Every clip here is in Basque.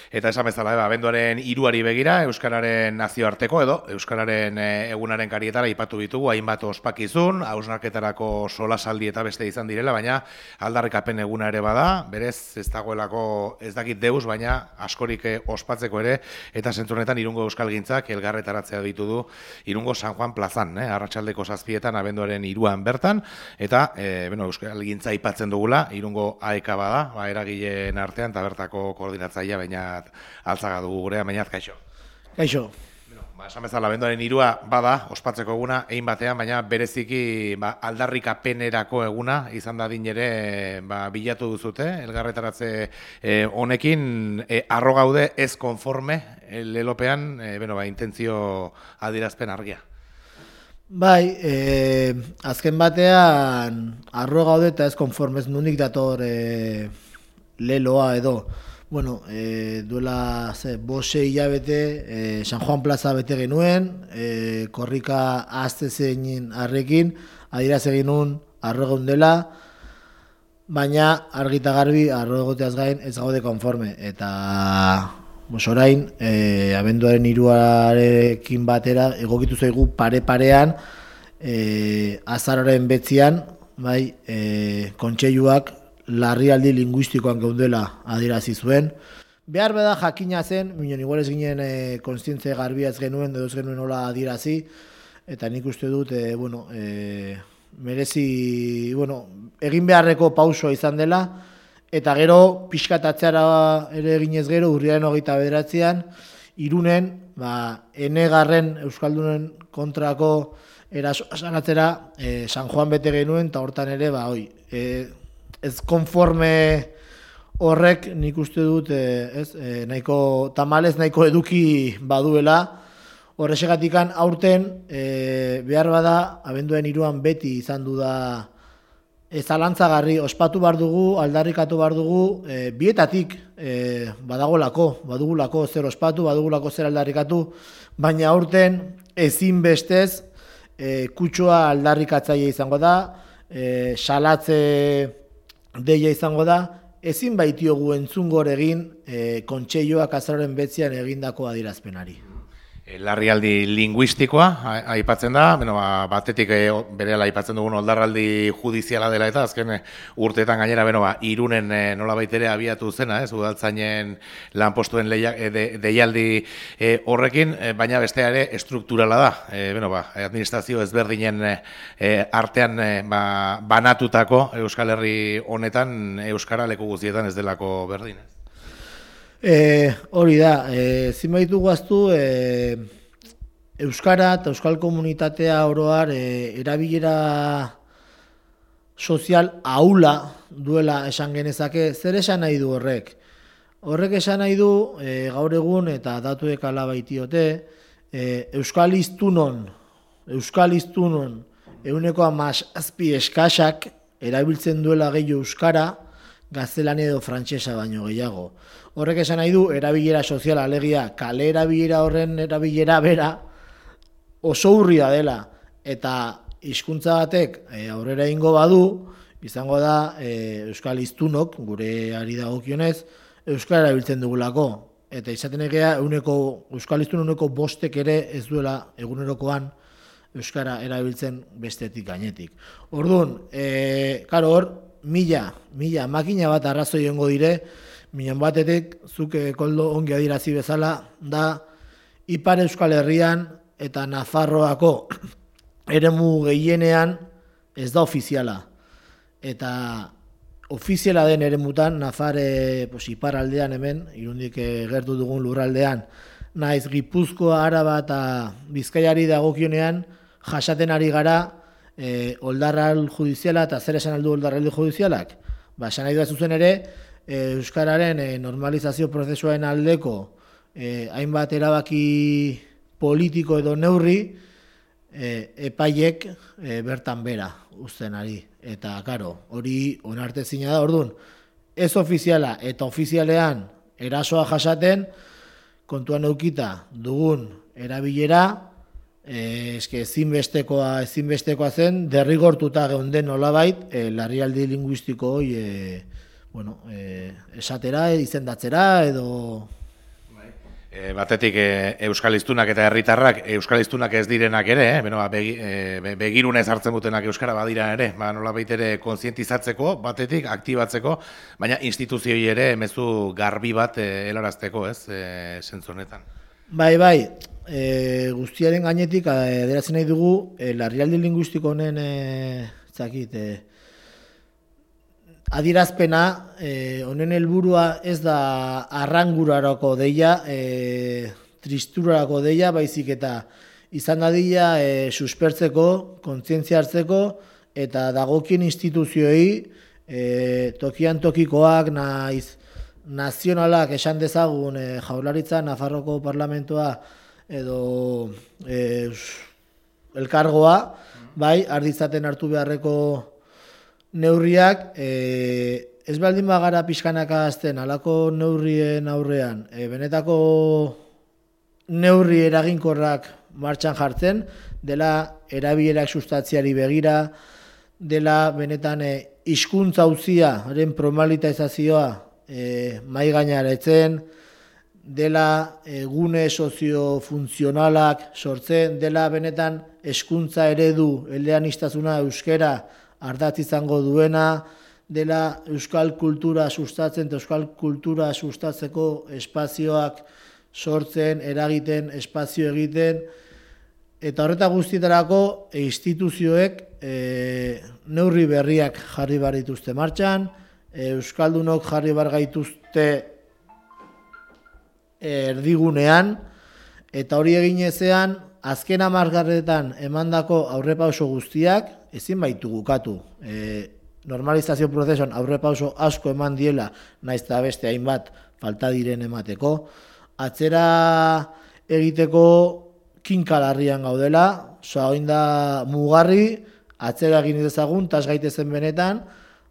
Eta esan bezala, abenduaren 3 begira, Euskararen nazioarteko edo Euskararen egunaren karietara ipatu ditugu, hainbat ospakizun, hausnarketarako solasaldi eta beste izan direla, baina aldarrikapen eguna ere bada, berez ez dagoelako ez dakit deus, baina askorik ospatzeko ere, eta zentzunetan Irungo Euskalgintzak elgarretaratzea ditu du Irungo San Juan plazan, arratsaldeko 7etan abenduaren 3an bertan, eta Euskalgintza aipatzen dugula, Irungo AEK bada, eragileen artean, eta bertako koordinatzailea, baina altzaga dugu gurea, bainat, kaixo. Kaixo. Esan bezala, abenduaren 3a bada, ospatzeko eguna, egin batean, baina bereziki aldarrikapenerako eguna, izan da din ere bilatu duzute, elgarretaratze honekin, arro gaude ez konforme, lelopean, intentzio adierazpen argia. Bai, azken batean, arro gaude eta ez konformez nunik dator leloa edo. Bueno, duela 5 hilabete San Juan plaza bete genuen, korrika azte zein arrekin, adieraz egin nun arro egon dela, baina argita garbi arro egoteaz gain ez gaude konforme. Eta orain, abenduaren 3arekin batera egokitu zaigu pare-parean, azaroren 9an, bai, kontseiluak larrialdi linguistikoan geundela adierazi zuen. Behar beda jakina zen, minon igual ez ginen kontzientze garbiaz genuen, edo ez genuen nola adierazi, eta nik uste dut, merezi, egin beharreko pausoa izan dela, eta gero pixkatatzera ere eginez gero, urriaren 29an, Irunen, enegarren Euskaldunen kontrako erasoa sanatzera San Juan bete genuen, eta hortan ere, ez konforme horrek nik uste dut nahiko tamalez nahiko eduki baduela. Horrexegatikan aurten behar bada abenduaren 3an beti izan du da zalantzagarri ospatu behar dugu, aldarrikatu behar dugu, bietatik badugulako zer ospatu, badugulako zer aldarrikatu, baina aurten ezinbestez kutsua aldarrikatzaile izango da, salatze deia izango da, ezin baitiogu entzungor egin kontseiluak azaroaren 9an egindako adierazpenari. Larrialdi linguistikoa aipatzen da, batetik berehala aipatzen dugun oldarraldi judiziala dela eta azken urteetan gainera Irunen nolabait ere abiatu zena, udaltzainen lanpostuen deialdi horrekin, baina bestea ere estrukturala da. Administrazio ezberdinen artean banatutako Euskal Herri honetan Euskara leku guztietan ez delako berdin. Hori da, zinbaitu guaztu Euskara eta Euskal komunitatea oroar erabilera sozial ahula duela esan genezake. Zer esan nahi du horrek? Horrek esan nahi du gaur egun eta datuek ala baitiote Euskal hiztunon 17 eskasak erabiltzen duela gehiago Euskara gaztelania edo frantsesa baino gehiago. Horrek esan nahi du, erabilera soziala, alegia, kale erabilera horren erabilera bera oso urria dela, eta hizkuntza batek aurrera egingo badu, izango da Euskal hiztunok, gure ari dagokionez, Euskara erabiltzen dugulako. Eta izaten egea, Euskal hiztun 5 ere ez duela egunerokoan Euskara erabiltzen bestetik gainetik. Orduan, hor, mila makina bat arrazoi egongo dire, minan batetik, zuk koldo ongi adierazi bezala, da Ipar Euskal Herrian eta Nafarroako eremu gehienean ez da ofiziala. Eta ofiziala den eremutan, Ipar aldean hemen, Irundik gertu dugun lurraldean, naiz Gipuzkoa, Araba eta Bizkaiari dagokionean, jasaten ari gara oldarral judiziala eta zer esan aldu oldarraldi judizialak? Esan nahi da zuzen ere, Euskararen normalizazio prozesuaren aldeko hainbat erabaki politiko edo neurri epaiek bertan bera uzten ari. Eta, hori onartezina da, orduan, ez ofiziala eta ofizialean erasoa jasaten, kontuan eukita dugun erabilera, ezinbestekoa zen, derrigortuta geunden nolabait, larrialdi linguistiko hori esatera, izendatzera, edo Batetik euskal hiztunak eta herritarrak, euskal hiztunak ez direnak ere, begirunez hartzen dutenak euskara badira ere, nolabait ere kontzientizatzeko, batetik aktibatzeko, baina instituzioi ere mezu garbi bat helarazteko, ez, zentzu honetan. Bai, guztiaren gainetik adierazten nahi dugu larrialdi linguistiko honen adierazpena, honen helburua ez da arrangurarako deia, tristurarako deia, baizik eta izan dadila suspertzeko, kontzientzia hartzeko, eta dagokien instituzioei, tokian tokikoak, nazionalak esan dezagun Jaurlaritza, Nafarroko Parlamentoa edo elkargoa, bai, arditzaten hartu beharreko neurriak, ez baldin bagara pixkanaka azten, alako neurrien aurrean, benetako neurri eraginkorrak martxan jartzen, dela erabilerak sustatziari begira, dela benetan hizkuntza auziaren formalizazioa mahai gaineratzen, dela gune soziofuntzionalak sortzen, dela benetan hezkuntza eredu eleaniztasuna euskera ardatz izango duena, dela euskal kultura sustatzen eta euskal kultura sustatzeko espazioak sortzen, eragiten, espazio egiten, eta horreta guztietarako instituzioek neurri berriak jarri behar dituzte martxan, euskaldunok jarri behar gaituzte erdigunean, eta hori egin ezean, azken hamarkadetan emandako aurrepauso guztiak ezin baitu gukatu. Normalizazio prozesuan aurrepauso asko eman diela, naiz eta beste hainbat falta diren emateko. Atzera egiteko kinkalarrian gaudela, orain da mugarri, atzera egin dezagun, tas gaitezen benetan,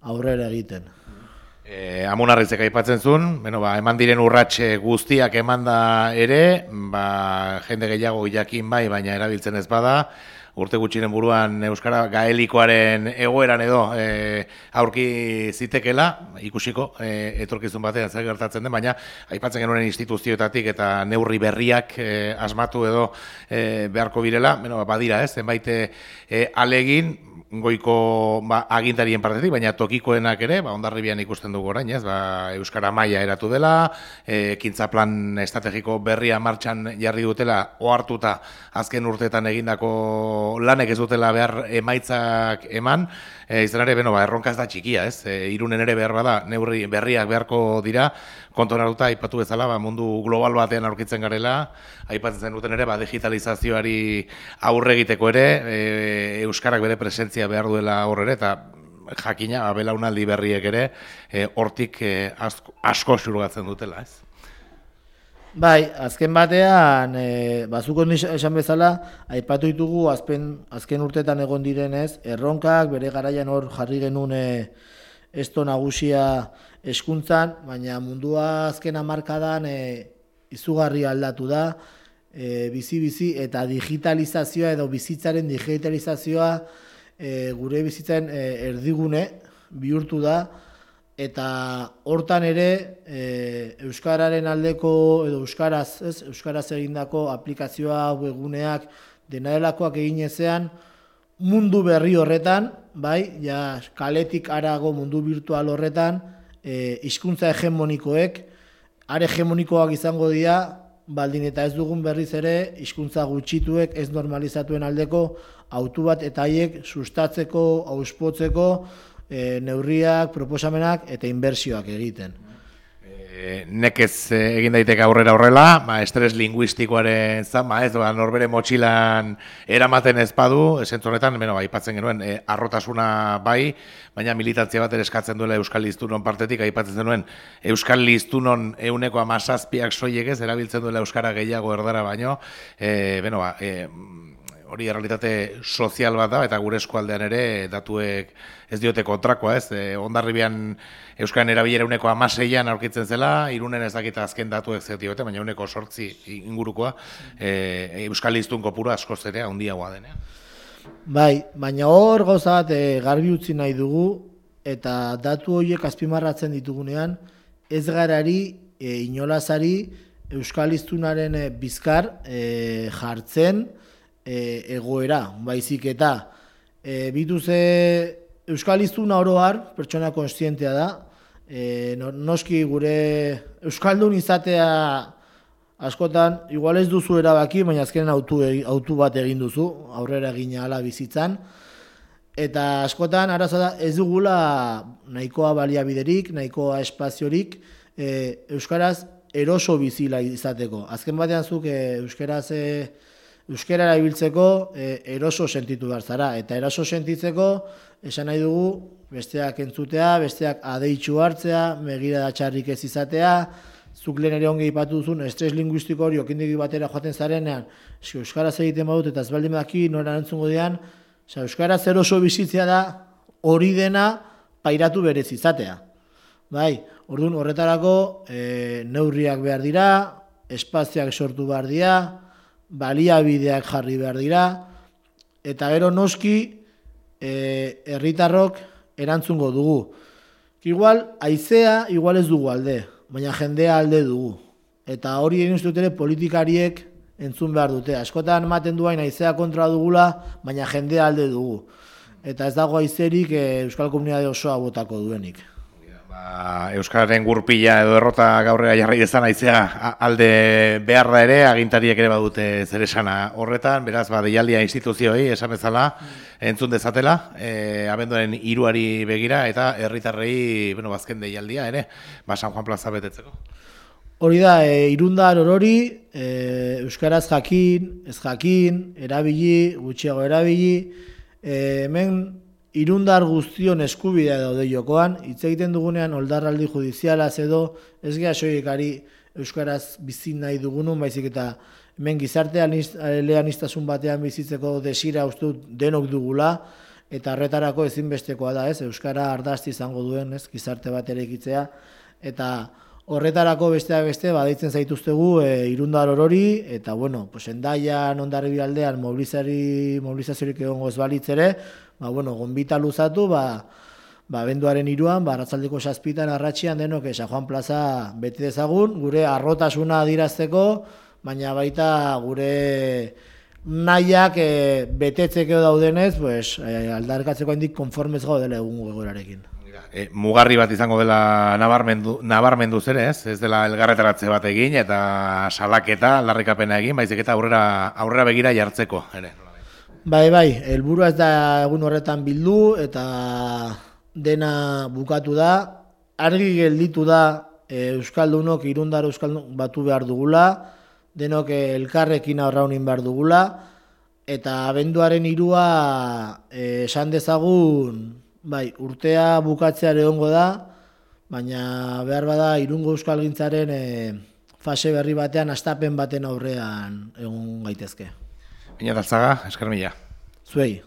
aurrera egiten. Amunarrizek aipatzen zuen, eman diren urratxe guztiak emanda ere, jende gehiago jakin bai, baina erabiltzen ez bada, urte gutxiren buruan euskara gaelikoaren egoeran edo aurki zitekela, ikusiko, etorkizun batean zer gertatzen den, baina aipatzen genuen instituzioetatik eta neurri berriak asmatu edo beharko birela, badira ez, zenbait alegin, goiko agintarien partetik, baina tokikoenak ere, Hondarribian ikusten dugu orain, ez, euskara maila eratu dela, ekintza plan estrategiko berria martxan jarri dutela, ohartuta azken urteetan egindako lanek ez dutela behar emaitzak eman, izan ere, erronka ez da txikia, ez, Irunen ere behar bada, neurri berriak beharko dira, kontuan hartuta, aipatu bezala, mundu global batean aurkitzen garela, aipatzen zen duten ere, digitalizazioari aurre egiteko ere, euskarak bere presentzia behar duela horre, eta jakina, belaunaldi berriek ere, hortik asko xurgatzen dutela, ez? Bai, azken batean, bazuko esan bezala, aipatu ditugu azken urtetan egon direnez, erronkak, bere garaian hor jarri genuen esto nagusia hezkuntzan, baina mundua azken hamarkadan izugarri aldatu da, bizi eta digitalizazioa edo bizitzaren digitalizazioa gure bizitzaren erdigune bihurtu da, eta hortan ere euskararen aldeko edo euskaraz egindako aplikazioa, webuneak, dena delakoak egin ezean, mundu berri horretan, bai, ja kaletik harago mundu virtual horretan, hizkuntza hegemonikoek, are hegemonikoak izango dira, baldin eta ez dugun berriz ere, hizkuntza gutxituek ez normalizatuen aldeko autu bat eta haiek sustatzeko, auspotzeko, neurriak, proposamenak eta inbertsioak egiten. Nekez egin daiteke aurrera horrela, estres linguistikoaren zan, ez norbere motxilan eramaten ez badu, esentzu honetan, aipatzen genuen, arrotasuna bai, baina militantzia bat ere eskatzen duela Euskal Hiztunon partetik, aipatzen zenuen, Euskal Hiztunon 17% soilik ez, erabiltzen duela Euskara gehiago erdara baino, hori errealitate sozial bat da, eta gure eskualdean ere datuek ez diote kontrakoa, ez? Hondarribian Euskaren erabilera 16an aurkitzen zela, Irunen ez dakita azken datuek zer diote, baina 8 ingurukoa, Euskal Hiztun kopurua askoz ere handiagoa denean. Bai, baina hor gauza bat garbi utzi nahi dugu, eta datu horiek azpimarratzen ditugunean, ez garari, inolazari, euskal hiztunaren bizkar jartzen egoera, baizik eta bituze euskal hiztuna oro har, pertsona kontzientea da, noski gure euskaldun izatea askotan, igual ez duzu erabaki, baina azkenen autu bat egin duzu, aurrera egin ahala bizitzan, eta askotan arazoa da ez dugula nahikoa baliabiderik, nahikoa espaziorik euskaraz eroso bizila izateko. Azken batean zuk euskara erabiltzeko eroso sentitu behar zara, eta eroso sentitzeko esan nahi dugu besteak entzutea, besteak adeitzu hartzea, begirada txarrik ez izatea, zuk lehen ere ongi ipatu duzun, estres linguistiko hori okindegi batera joaten zarenean, euskaraz egiten badut eta ez baldin badaki nora erantzungo dian, euskaraz eroso bizitzea da hori dena pairatu berez izatea. Bai, orduan horretarako neurriak behar dira, espazioak sortu behar dira, baliabideak jarri behar dira, eta gero noski herritarrok erantzungo dugu. Igual, haizea igual ez dugu alde, baina jendea alde dugu. Eta hori egin uste dut politikariek entzun behar dute. Askotan ematen duain haizea kontra dugula, baina jendea alde dugu. Eta ez dago haizerik euskal komunitate osoa botako duenik. Euskararen gurpila edo errota gaurrera jarri dezan haizea alde behar da ere, agintariek ere badute zer esana horretan, beraz, deialdia instituzioei esan bezala entzun dezatela, abenduaren 3 begira eta herritarrei, bazken deialdia ere, San Juan plaza betetzeko. Hori da, irundar orori, euskaraz jakin, ez jakin, erabili, gutxiago erabili, hemen irundar guztion eskubidea daude jokoan, hitz egiten dugunean oldarraldi judizialaz edo ez geha soiekari euskaraz bizi nahi dugunun, baizik eta hemen gizarte eleaniztasun batean bizitzeko desira uste dut denok dugula, eta horretarako ezinbestekoa da, euskara ardazti izango duen, gizarte bat erekitzea, eta horretarako besteak beste badeitzen zaituztegu irundar orori, eta Hendaian, Hondarribia aldean mobilizaziorik egongo ez balitz ere, gonbita luzatu, abenduaren 3an, arratsaldeko 7 arratxian denok San Juan plaza bete dezagun, gure harrotasuna adierazteko, baina baita gure nahiak betetzeko daudenez, aldarkatzeko handik konformez gaudela egungo egoerarekin. Mugarri bat izango dela nabarmenduz ere, ez dela elgarretaratze bat egin eta salaketa, aldarrikapena egin, baizik eta aurrera begira jartzeko ere. Bai, helburua ez da egun horretan bildu eta dena bukatu da, argi gelditu da euskaldunok irundar euskaldun batu behar dugula, denok elkarrekin aurraunin behar dugula, eta abenduaren 3a esan dezagun, urtea bukatzeare egongo da, baina behar bada Irungo euskalgintzaren fase berri batean, hastapen baten aurrean egon gaitezke. Iñat Altzaga, esker mila. Zuei.